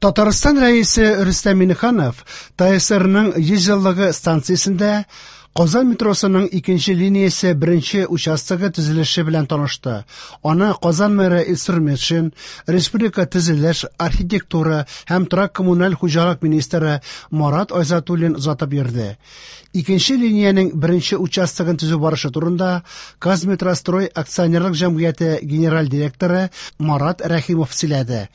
Татарстан Рәисе Рөстәм Миңнеханов ТАССРның 100 еллыгы станциясендә Казан метросының икенче линиясе беренче участогы төзелеше белән танышты. Аны Казан мэры Илсур Метшин, республика төзелеш, архитектура һәм торак-коммуналь хуҗалык министры Марат Айзатуллин озатып йөрде. Икенче линиянең беренче участогын төзү барышы турында Казметрострой акционерлык җәмгыяте генераль директоры Марат Рәхимов сөйләде.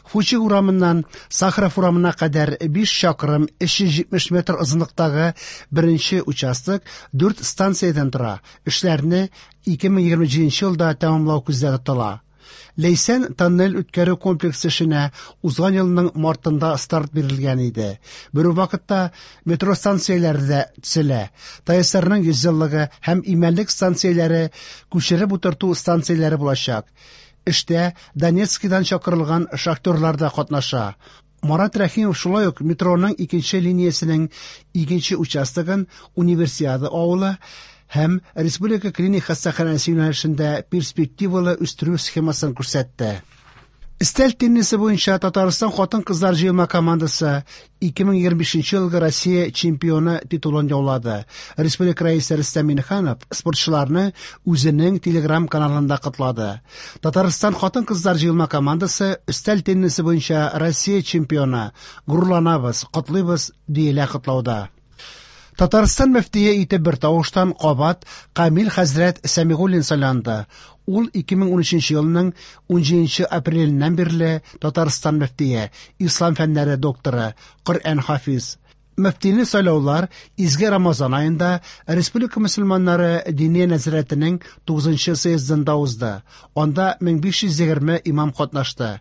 Фучик урамыннан Сахаров урамына кадәр 5 чакрым 370 метр озынлыктагы беренче участок 4 станциядән тора. Эшләрне 2027 елда тәмамлау күздә тотыла. Ләйсән тоннель үткәрү комплексы эшенә узган елның мартында старт бирелгән иде. Бер үк вакытта метро станцияләре дә төзелә. ТАССРның 100 еллыгы һәм Имәнлек станцияләре күчереп утырту станцияләре булачак. Эштә Донецкидан чакырылган шахтерлар да катнаша. Марат Рәхимов шулай ук метроның икенче линиясенең икенче участогын Универсиада авылы һәм Республика клиник хастаханәсе юнәлешендә перспективалы үстерү схемасын күрсәтте. Өстәл теннисы буенча Татарстан хатын-кызлар җыелма командасы 2025 елгы Россия чемпионы титулын яулады. Республика Рәисе Рөстәм Миңнеханов спортчыларны үзенең Телеграм каналында котлады. Татарстан хатын-кызлар җыелма командасы өстәл теннисы буенча Россия чемпионы. Горурланабыз, котлыйбыз, диелә котлауда. Татарстан мөфтие итеп бер тавыштан кабат Камил хәзрәт Сәмигуллин сайланды. Ул 2013 елның 17 апреленнән бирле Татарстан мөфтие, ислам фәннәре докторы, Коръән хафиз. Мөфтине сайлаулар Изге Рамазан аенда Республика мөселманнары Диния нәзарәтенең 9 съездында узды. Анда 1520 имам катнашты.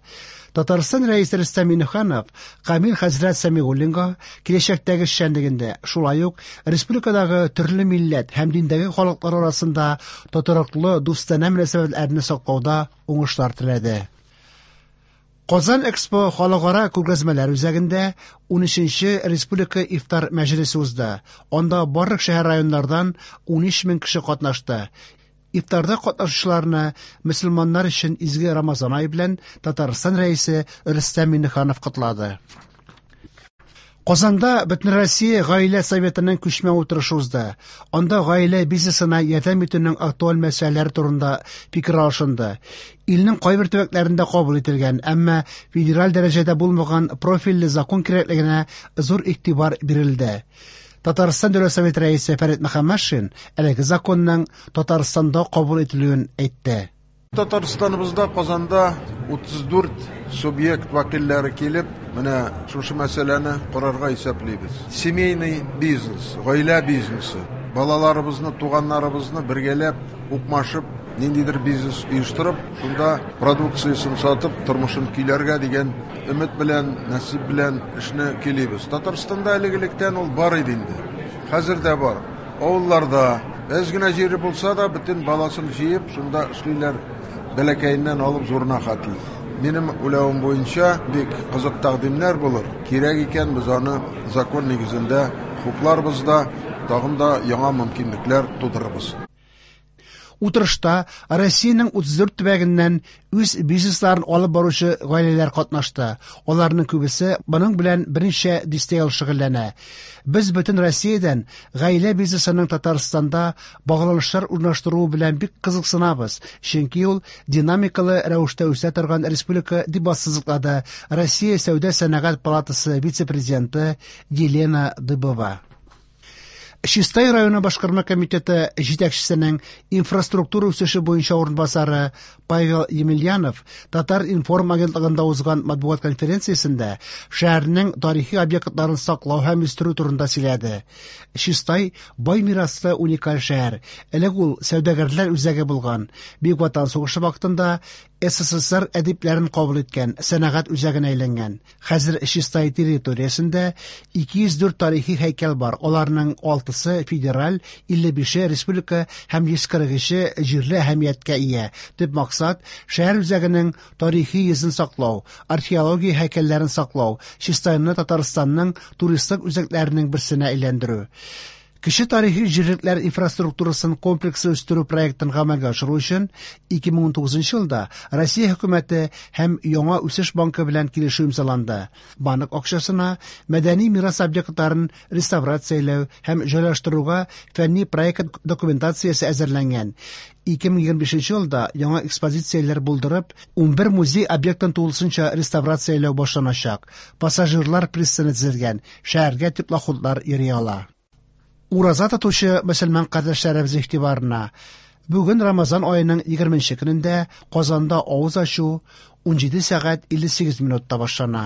Татарстан Рәисе Рөстәм Миңнеханов Камил хәзрәт Сәмигуллинга киләчәктәге эшчәнлегендә, шулай ук республикадагы төрле милләт һәм диндәге халыклар арасында тотрыклы дустанә мөнәсәбәтләрне саклауда уңышлар теләде. Казан Экспо халыкара күргәзмәләр үзәгендә 13нче республика ифтар мәҗлесе узды. Анда барлык шәһәр районнардан 13 мең кеше катнашты. Ифтарда катнашучыларны мөселманнар өчен изге Рамазан ае белән Татарстан Рәисе Рөстәм Миңнеханов котлады. Казанда Бөтенроссия гаилә советының күчмә утырышы узды. Анда гаилә бизнесына ярдәм итүнең актуаль мәсьәләләре турында фикер алышынды. Илнең кайбер төбәкләрендә кабул ителгән, әмма федераль дәрәҗәдә булмаган профильле закон кирәклегенә зур игътибар бирелде. Татарстан Дәүләт Советы рәисе Фәрит Мөхәммәтшин әлеге законның Татарстанда кабул ителүен әйтте. Татарстаныбызда Казанда 34 субъект вәкилләре килеп, менә шушы мәсьәләне карарга исәплибез. Семейный бизнес, гаилә бизнесы. Балаларыбызны, туганнарыбызны бергәләп, укмашып, ниндидер бизнес оештырып, шунда продукциясен сатып, тормышын көйләргә дигән өмет белән, насип белән эшне көйлибез. Татарстанда элек-электән ул бар иде инде. Хәзер дә бар. Авылларда әз генә җире булса да, бөтен баласын җыеп, шунда эшлиләр, бәләкәеннән алып зурына хәтле. Минем уйлавым буенча, бик кызык тәкъдимнәр булыр. Кирәк икән, без аны закон нигезендә хупларбыз да, тагын да яңа мөмкинлекләр тудырырбыз. Утырышта Россиянең 34 төбәгеннән үз бизнесларын алып баручы гаиләләр катнашты. Аларның күбесе моның белән берничә дистә ел шөгыльләнә. Без бөтен Россиядән гаилә бизнесының Татарстанда багланышлар урнаштыруы белән бик кызыксынабыз, чөнки ул динамикалы рәвештә үсә торган республика, дип ассызыклады Россия Сәүдә-сәнәгать палатасы вице-президенты Елена Дыбова. Чистай районы башкарма комитеты җитәкчесенең инфраструктура үсеше буенча урынбасары Павел Емельянов Татар-информ агентлыгында узган матбугат конференциясендә шәһәрнең тарихи объектларын саклау һәм үстерү турында сөйләде. Чистай бай мираслы уникаль шәһәр. Элек ул сәүдәгәрләр үзәге булган. Бөек Ватан сугышы вакытында СССР әдипләрен кабул иткән сәнәгать үзәгенә әйләнгән. Хәзер Чистай территориясендә 204 тарихи һәйкәл бар. Аларның 6-сы федераль, 55-е республика һәм 143-е җирле әһәмияткә ия. Төп максат шәһәр үзәгенең тарихи йөзен саклау, археология һәйкәлләрен саклау, Чистайны Татарстанның туристлык үзәкләренең берсенә әйләндерү. Кече тарихи җирлекләр инфраструктурасын комплекслы үстерү проектын гамәлгә ашыру өчен 2019 елда Россия хөкүмәте һәм Яңа үсеш банкы белән килешү имзаланды. Банк акчасына мәдәни мирас объектларын реставрацияләү һәм җайлаштыруга фәнни проект документациясе әзерләнгән. 2025 елда яңа экспозицияләр булдырып, 11 музей объектын тулысынча реставрацияләү башланачак. Пассажирлар пристане төзелгән, шәһәргә теплоходлар йөри ала. Ураза тотучы мөселман кардәшләребез игътибарына! Бүген Рамазан аеның 20 нче көнендә Казанда авыз ачу 17 сәгать 58 минутта башлана.